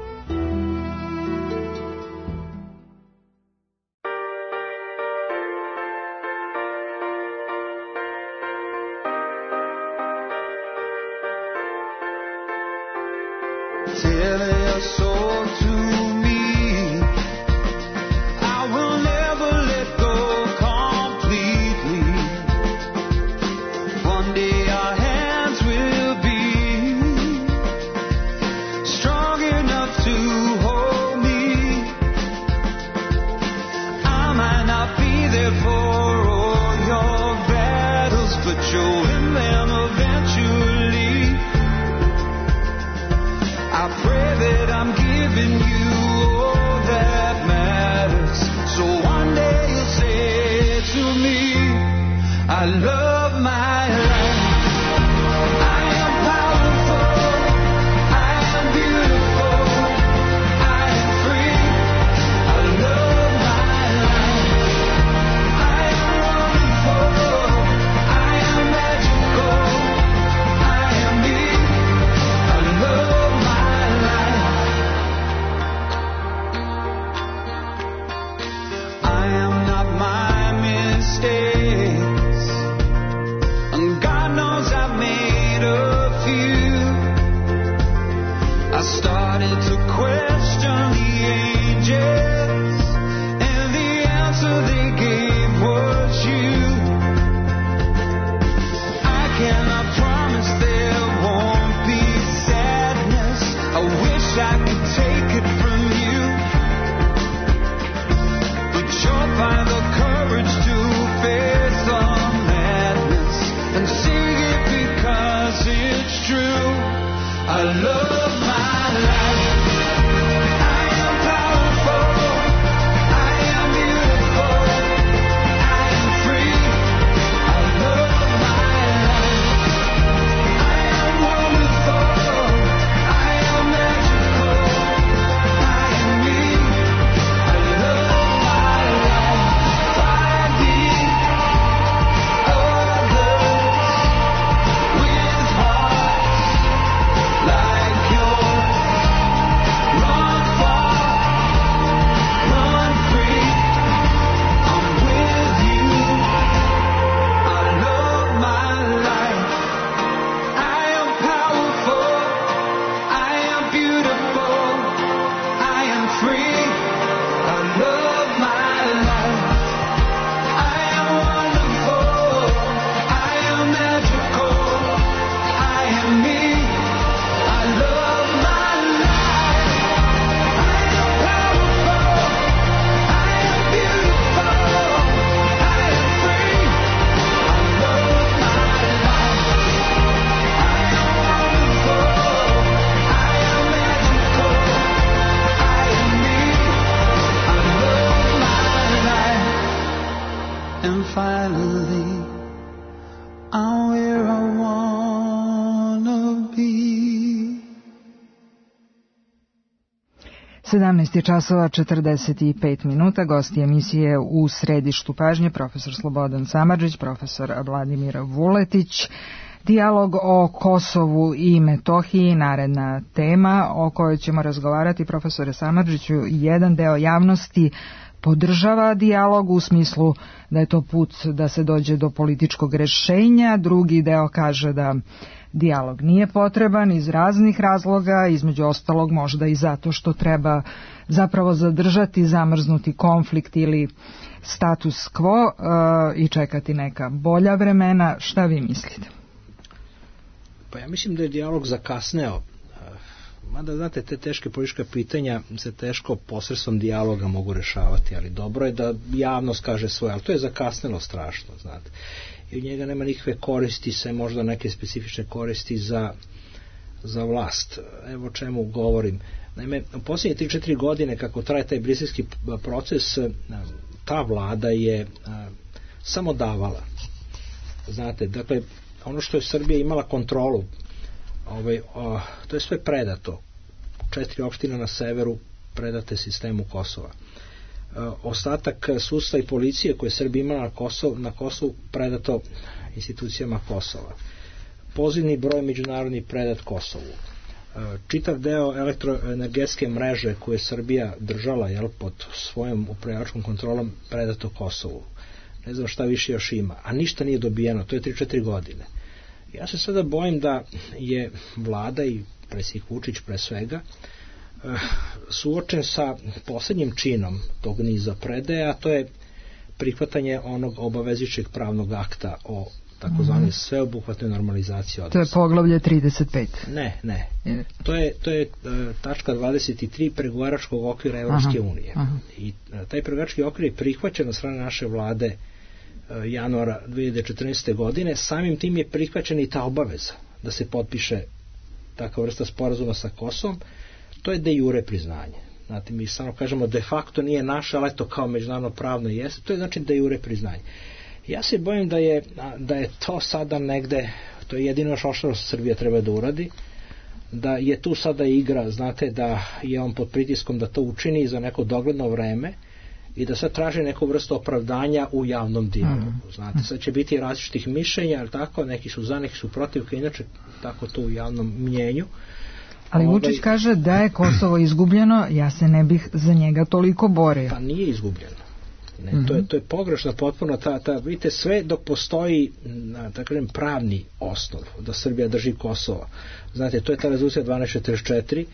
finally I'm where I wanna be. 17 časova 45 minuta. Gosti emisije u središtu pažnje profesor Slobodan Samardžić, profesor Vladimir Vuletić. Dijalog o Kosovu i Metohiji, naredna tema o kojoj ćemo razgovarati. Profesore Samardžiću, jedan deo javnosti podržava dijalog u smislu da je to put da se dođe do političkog rešenja, drugi deo kaže da dijalog nije potreban iz raznih razloga, između ostalog možda i zato što treba zapravo zadržati zamrznuti konflikt ili status quo i čekati neka bolja vremena. Šta vi mislite? Pa ja mislim da je dijalog zakasneo. Mada, znate, te teške politička pitanja se teško posredstvom dijaloga mogu rešavati, ali dobro je da javnost kaže svoje, ali to je zakasnelo strašno, znate. I od njega nema nikakve koristi, se možda neke specifične koristi za vlast. Evo o čemu govorim. Naime, u posljednje 3-4 godine kako traje taj briselski proces, ta vlada je samo davala. Znate, dakle, ono što je Srbija imala kontrolu, to je sve predato. 4 opštine na severu predate sistemu Kosova. Ostatak sudstva i policije koje Srbija imala na Kosovu predato institucijama Kosova. Pozivni broj međunarodni predat Kosovu. Čitav deo elektroenergetske mreže koje je Srbija držala pod svojom upravljačkom kontrolom predato Kosovu. Ne znam šta više još ima, a ništa nije dobijeno, to je 3-4 godine. Ja se sada bojim da je vlada i predsjednik Vučić pre svega suočen sa poslednjim činom tog niza predaja, a to je prihvatanje onog obavezujućeg pravnog akta o takozvanoj sveobuhvatnoj normalizaciji odnosa. To je poglavlje 35. Ne. To je tačka 23 pregovaračkog okvira Evropske unije. I taj pregovarački okvir je prihvaćen od strane naše vlade januara 2014. godine. Samim tim je prihvaćena i ta obaveza da se potpiše takva vrsta sporazuma sa Kosovom. To je de jure priznanje. Znate, mi samo kažemo de facto nije naše, ali to kao međunarodno pravno jeste. To je znači de jure priznanje. Ja se bojim da je to sada negde, to je jedino što Srbija treba da uradi, da je tu sada igra, znate, da je on pod pritiskom da to učini za neko dogledno vreme i da sad traži neku vrstu opravdanja u javnom dijalogu. Znate, sad će biti različitih mišljenja, ali tako, neki su za, neki su protiv, kao inače tako to u javnom mnjenju. Ali Vučić kaže da je Kosovo izgubljeno, ja se ne bih za njega toliko borio. Pa nije izgubljeno. Ne, to je pogrešno potpuno, vidite, sve dok postoji pravni osnov da Srbija drži Kosovo. Znate, to je ta rezolucija 1244,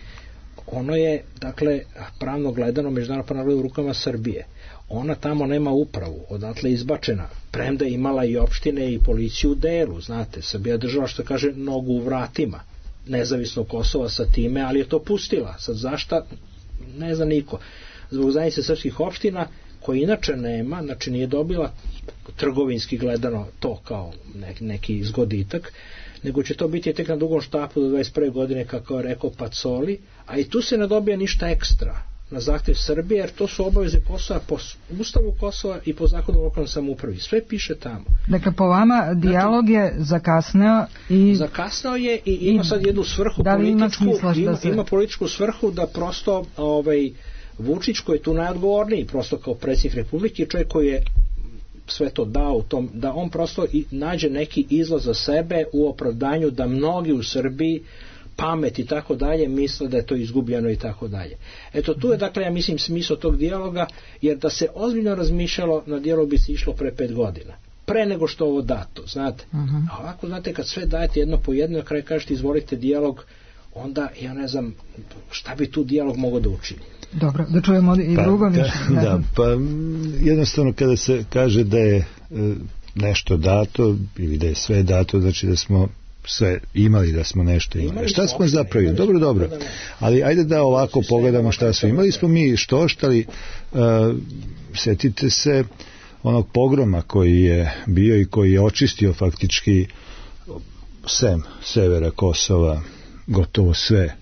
ono je, dakle, pravno gledano međunarodno pravno u rukama Srbije. Ona tamo nema upravu, odatle izbačena, premda je imala i opštine i policiju u delu, znate, Srbija država, što kaže, nogu u vratima nezavisno Kosova sa time, ali je to pustila. Sad zašta, ne zna niko. Zbog zajednice srpskih opština, koji inače nema, znači nije dobila trgovinski gledano to kao neki zgoditak, nego će to biti tek na dugom štapu do 21. godine, kako je rekao Pacoli, a i tu se ne dobija ništa ekstra na zahtev Srbije, jer to su obaveze Kosova po Ustavu Kosova i po zakonu o lokalnoj samoupravi. Sve piše tamo. Dakle, po vama dijalog je zakasneo i... Zakasneo je i ima sad jednu svrhu političku, ima političku svrhu da prosto Vučić, koji je tu najodgovorniji, prosto kao predsjednik Republike, čovjek koji je sve to dao u tom, da on prosto nađe neki izlaz za sebe u opravdanju da mnogi u Srbiji pamet i tako dalje misle da je to izgubljeno i tako dalje. Eto, tu je, dakle, ja mislim, smisao tog dijaloga, jer da se ozbiljno razmišljalo, na dijalog bi se išlo pre 5 godina. Pre nego što ovo dato, znate. A ovako, znate, kad sve dajete jedno po jedno, na kraju kažete izvolite dijalog, onda, ja ne znam, šta bi tu dijalog mogao da učini. Dobro, da čujemo i drugo mišljenje. Da, pa jednostavno kada se kaže da je nešto dato ili da je sve dato, znači da smo sve imali, da smo nešto imali. Šta smo zapravili? Dobro. Ali ajde da ovako pogledamo šta smo imali. Smo mi štoštali, setite se onog pogroma koji je bio i koji je očistio faktički sem severa Kosova, gotovo sve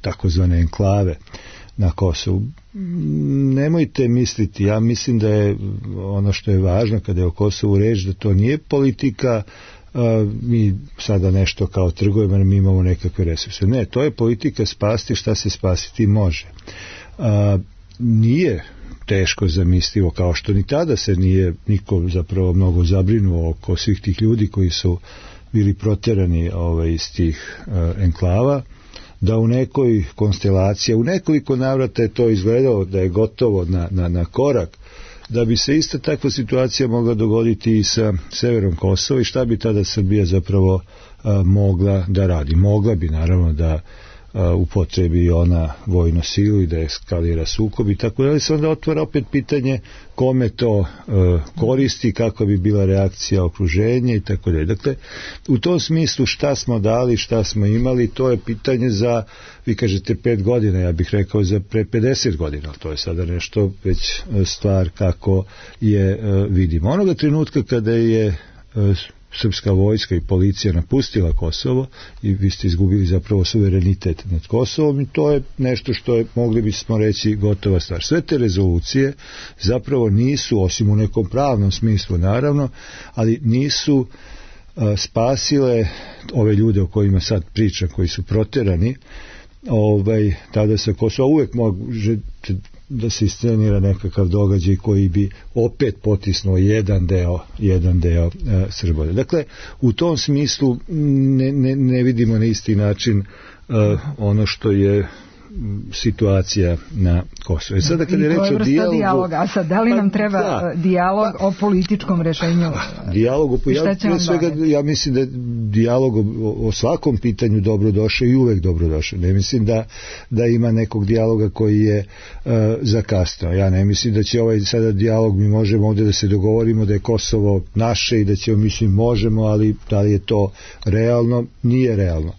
takozvane enklave. na Kosovu. Nemojte misliti, ja mislim da je ono što je važno kada je o Kosovu reč, da to nije politika mi sada nešto kao trgujemo, mi imamo nekakve resurse. Ne, to je politika spasti šta se spasiti može. Nije teško zamislivo, kao što ni tada se nije niko zapravo mnogo zabrinuo oko svih tih ljudi koji su bili protjerani iz tih enklava, da u nekoj konstelaciji, u nekoliko navrata je to izgledalo da je gotovo na korak, da bi se ista takva situacija mogla dogoditi i sa severom Kosova i šta bi tada Srbija zapravo mogla da radi. Mogla bi naravno da upotrebi ona vojnu silu i da eskalira sukob i tako da se onda otvara opet pitanje kome to koristi, kakva bi bila reakcija okruženja i tako da. Dakle, u tom smislu šta smo dali, šta smo imali, to je pitanje za, vi kažete 5 godina, ja bih rekao za pre 50 godina, to je sada nešto već stvar kako je vidimo. Onoga trenutka kada je srpska vojska i policija napustila Kosovo i vi ste izgubili zapravo suverenitet nad Kosovom i to je nešto što je, mogli bismo reći, gotova stvar. Sve te rezolucije zapravo nisu, osim u nekom pravnom smislu naravno, ali nisu spasile ove ljude o kojima sad pričam, koji su protjerani tada sa Kosova. Uvijek može da se iscenira nekakav događaj koji bi opet potisnuo jedan deo Srba. Dakle, u tom smislu ne vidimo na isti način ono što je situacija na Kosovu. Sada kada je reč o dijalogu, a sad da li nam treba dijalog o političkom rešenju? Ja mislim da dijalog o svakom pitanju dobrodošao i uvek dobrodošao. Ne mislim da ima nekog dijaloga koji je zakasnio. Ja ne mislim da će sada dijalog, mi možemo ovdje da se dogovorimo da je Kosovo naše i da ćemo, mislim, možemo, ali da li je to realno? Nije realno.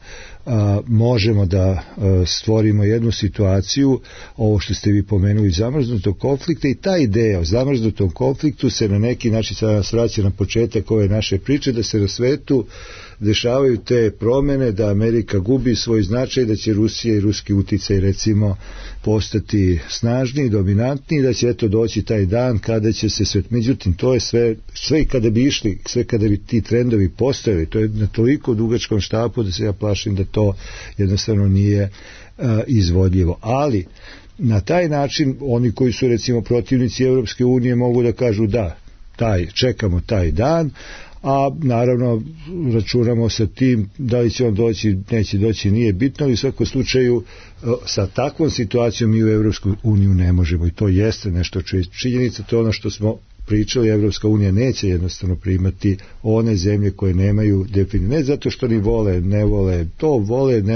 Možemo da stvorimo jednu situaciju, ovo što ste vi pomenuli, zamrznutog konflikta, i ta ideja o zamrznutom konfliktu se na neki način sada nas vraća na početak ove naše priče, da se na svetu dešavaju te promjene, da Amerika gubi svoj značaj, da će Rusija i ruski uticaj recimo postati snažniji, dominantniji, da će eto doći taj dan kada će se sve. Međutim, to je sve i kada bi išli, sve kada bi ti trendovi postojali, to je na toliko dugačkom štapu da se ja plašim da to jednostavno nije izvodljivo. Ali na taj način oni koji su recimo protivnici Europske unije mogu da kažu da, čekamo taj dan, a naravno računamo sa tim, da li će on doći, neće doći, nije bitno, ali u svakom slučaju sa takvom situacijom mi u Evropsku uniju ne možemo, i to jeste nešto činjenica, to je ono što smo pričali, Evropska unija neće jednostavno primati one zemlje koje nemaju definiciju, ne zato što ni vole, ne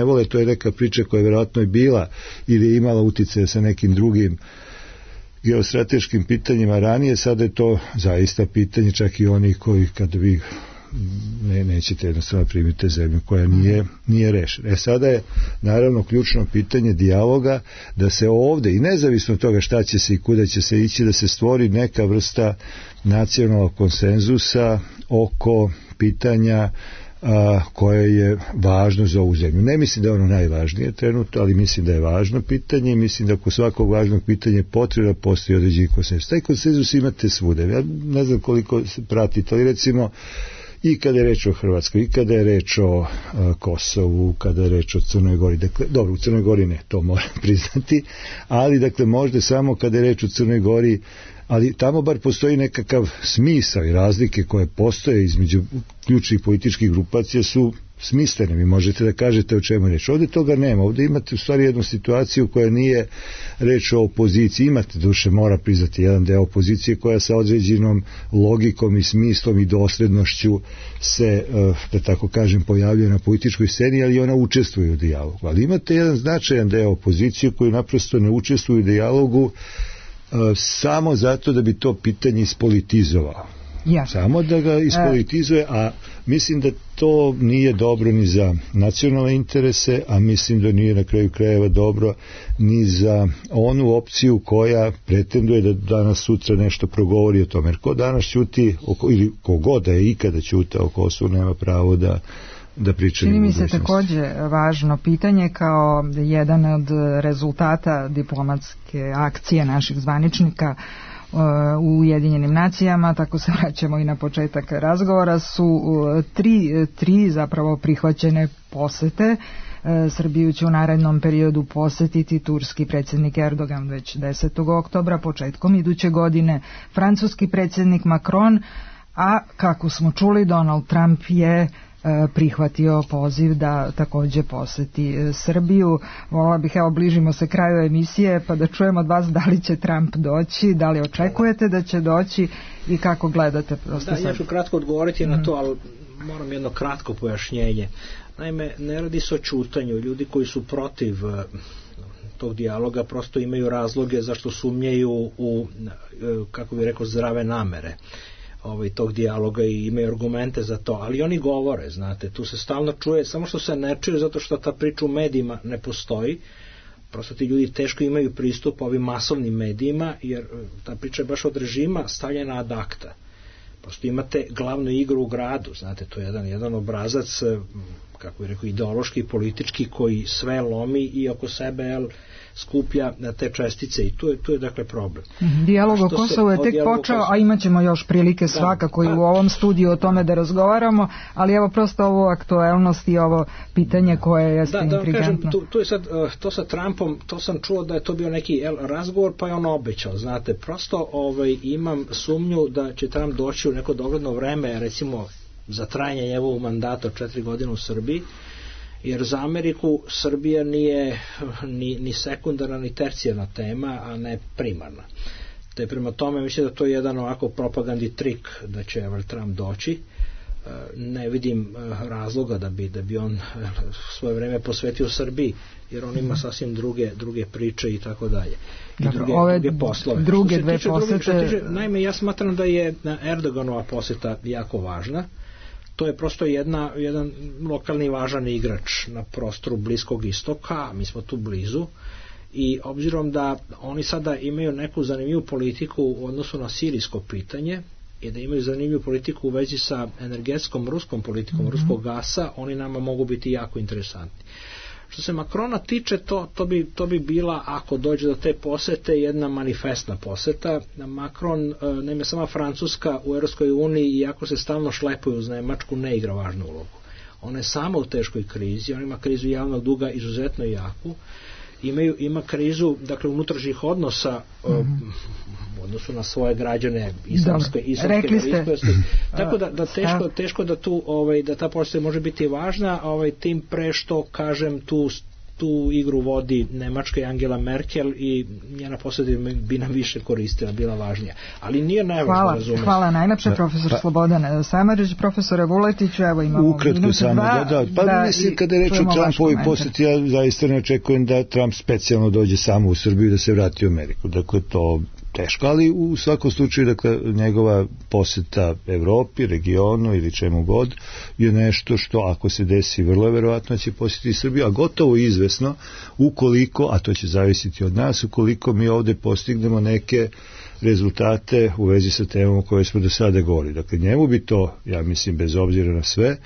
vole, to je neka priča koja je vjerojatno i bila ili je imala utjecaj sa nekim drugim geostrateškim pitanjima ranije, sada je to zaista pitanje, čak i oni koji kada vi nećete jednostavno primiti zemlju koja nije rešena. Sada je naravno ključno pitanje dijaloga, da se ovdje, i nezavisno od toga šta će se i kuda će se ići, da se stvori neka vrsta nacionalnog konsenzusa oko pitanja koje je važno za ovu zemlju. Ne mislim da je ono najvažnije trenutno, ali mislim da je važno pitanje i mislim da oko svakog važnog pitanja potrebno postoji određeni konsenzus. Taj konsenzus imate svuda. Ja ne znam koliko se pratite, ali recimo i kada je reč o Hrvatskoj, i kada je reč o Kosovu, kada je reč o Crnoj Gori. Dakle, dobro, u Crnoj Gori ne, to moram priznati, ali dakle možda samo kada je reč o Crnoj Gori, ali tamo bar postoji nekakav smisao i razlike koje postoje između ključnih političkih grupacija su smislene. Vi možete da kažete o čemu je reč. Ovdje toga nema. Ovdje imate u stvari jednu situaciju koja nije reč o opoziciji. Imate, duše, mora priznati, jedan deo opozicije koja sa određenom logikom i smislom i doslednošću se, da tako kažem, pojavljuje na političkoj sceni, ali ona učestvuje u dijalogu. Ali imate jedan značajan deo opozicije koji naprosto ne učestvuje u dijalogu samo zato da bi to pitanje ispolitizovao. Samo da ga ispolitizuje, a mislim da to nije dobro ni za nacionalne interese, a mislim da nije na kraju krajeva dobro ni za onu opciju koja pretenduje da danas sutra nešto progovori o tome. Jer ko danas ćuti, ili kogod da je ikada ćutao o Kosovu, nema pravo da da pričamo. Čini mi se takođe važno pitanje kao jedan od rezultata diplomatske akcije naših zvaničnika u Ujedinjenim nacijama, tako se vraćamo i na početak razgovora, su tri zapravo prihvaćene posete. Srbiju će u narednom periodu posetiti turski predsjednik Erdogan već 10. oktobra, početkom iduće godine francuski predsjednik Macron, a kako smo čuli, Donald Trump je prihvatio poziv da takođe poseti Srbiju. Volila bih, evo, bližimo se kraju emisije, pa da čujemo od vas da li će Trump doći, da li očekujete da će doći i kako gledate. Ja ću kratko odgovoriti na to, ali moram jedno kratko pojašnjenje. Naime, ne radi se o ćutanju. Ljudi koji su protiv tog dijaloga prosto imaju razloge zašto sumnjaju u, kako bih rekao, zdrave namere tog dijaloga i imaju argumente za to, ali oni govore, znate, tu se stalno čuje, samo što se ne čuje zato što ta priča u medijima ne postoji, prosto ti ljudi teško imaju pristup ovim masovnim medijima, jer ta priča je baš od režima stavljena ad acta. Prosto imate glavnu igru u gradu, znate, to je jedan obrazac, kako bih rekao, ideološki, politički, koji sve lomi i oko sebe skuplja te čestice i tu je dakle problem. Dijalog o Kosovu je tek počeo, a imat ćemo još prilike svakako i u ovom studiju o tome da razgovaramo, ali evo prosto ovu aktuelnost i ovo pitanje koje je intrigantno. Kažem, tu je sad, to sa Trumpom, to sam čuo da je to bio neki razgovor, pa je on obećao, znate, prosto imam sumnju da će Trump doći u neko dogledno vreme, recimo za trajanje njegovog mandata od 4 godine u Srbiji, jer za Ameriku Srbija nije ni sekundarna ni tercijarna tema, a ne primarna. Te prema tome mislim da to je jedan ovako propagandni trik da će Trump doći. Ne vidim razloga da bi on svoje vreme posvetio Srbiji, jer on ima sasvim druge priče i tako dalje. I druge poslove. Druge dve posete. Naime, ja smatram da je Erdoganova poseta jako važna. To je prosto jedan lokalni važan igrač na prostoru Bliskog istoka, mi smo tu blizu, i obzirom da oni sada imaju neku zanimljivu politiku u odnosu na sirijsko pitanje i da imaju zanimljivu politiku u vezi sa energetskom ruskom politikom, ruskog gasa, oni nama mogu biti jako interesantni. Što se Macrona tiče, to bi bila, ako dođe do te posete, jedna manifestna poseta. Macron, naime, sama Francuska u Europskoj uniji, iako se stalno šlepuje uz Nemačku, ne igra važnu ulogu. Ona je sama u teškoj krizi, ona ima krizu javnog duga izuzetno jaku, ima krizu, dakle, unutrašnjih odnosa u odnosu na svoje građane islamske tako da teško da tu da ta poseta može biti važna, tim pre što, kažem, tu igru vodi Nemačka i Angela Merkel i njena poseta bi nam više koristila, bila važnija. Ali nije nevažno, razumiješ. Hvala najlepše, profesor Slobodan Samardžić. Profesore Vuletiću, evo imamo ukratko samo pa mislim, kada je reč o Trumpovoj poseti, ja zaista ne očekujem da Trump specijalno dođe samo u Srbiju da se vrati u Ameriku. Dakle, to teško, ali u svakom slučaju, dakle, njegova poseta Evropi, regionu ili čemu god je nešto što, ako se desi, vrlo je verovatno će posjetiti Srbiju, a gotovo izvesno ukoliko, a to će zavisiti od nas, ukoliko mi ovde postignemo neke rezultate u vezi sa temom o kojoj smo do sada govorili. Dakle, njemu bi to, ja mislim, bez obzira na sve,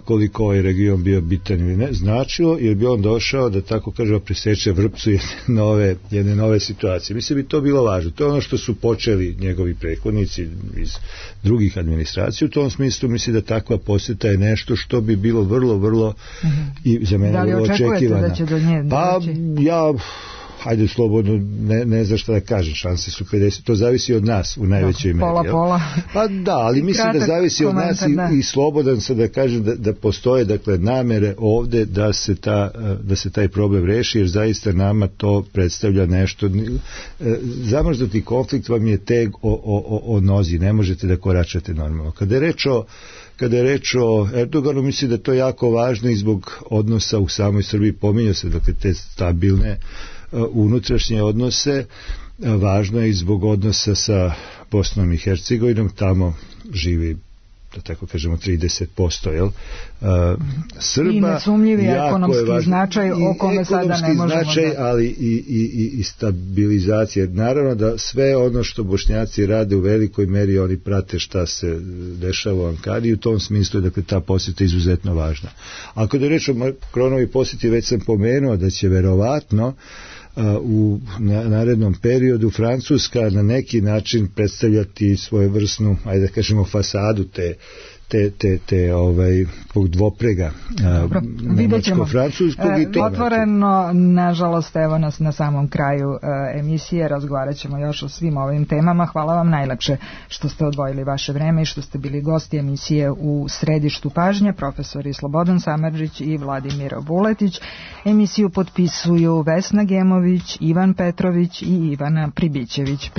koliko ovaj region bio bitan ili ne, značilo, jer bi on došao, da tako kažemo, priseče vrpcu jedne nove situacije. Mislim, bi to bilo važno. To je ono što su počeli njegovi prethodnici iz drugih administracija. U tom smislu mislim da takva posjeta je nešto što bi bilo vrlo i za mene vrlo očekivano. Da li očekujete da će do nje doći? Hajde slobodno, ne znam šta da kažem, šanse su 50, to zavisi od nas u najvećoj meri. Pola. Pa da, ali mislim da zavisi od nas i slobodan sam da kažem da postoje, dakle, namere ovde da se taj problem reši, jer zaista nama to predstavlja nešto. Zamrznuti konflikt vam je teg o nozi, ne možete da koračate normalno. Kada je reč o Erdoganu, mislim da je to jako važno i zbog odnosa u samoj Srbiji, pominjao se, dakle, te stabilne unutrašnje odnose, važno je i zbog odnosa sa Bosnom i Hercegovinom, tamo živi da tako kažemo 30%, jel? Srba, i nesumnjivi ekonomski značaj o kome sada ne možemo značaj, ali i stabilizacija. Naravno da sve ono što Bošnjaci rade u velikoj meri oni prate šta se dešava u Ankari i u tom smislu je dakle ta posjeta izuzetno važna. Ako da reč o Macronovi posjeti, već sam pomenuo da će verovatno u narednom periodu Francuska na neki način predstavljati svojevrsnu, ajde da kažemo, fasadu te dvoprega nemačko-francuskog i to otvoreno, nažalost, evo nas na samom kraju emisije, razgovarat ćemo još o svim ovim temama. Hvala vam najlepše što ste odvojili vaše vreme i što ste bili gosti emisije u središtu pažnje, profesori Slobodan Samardžić i Vladimir Vuletić. Emisiju potpisuju Vesna Gemović, Ivan Petrović i Ivana Pribićević.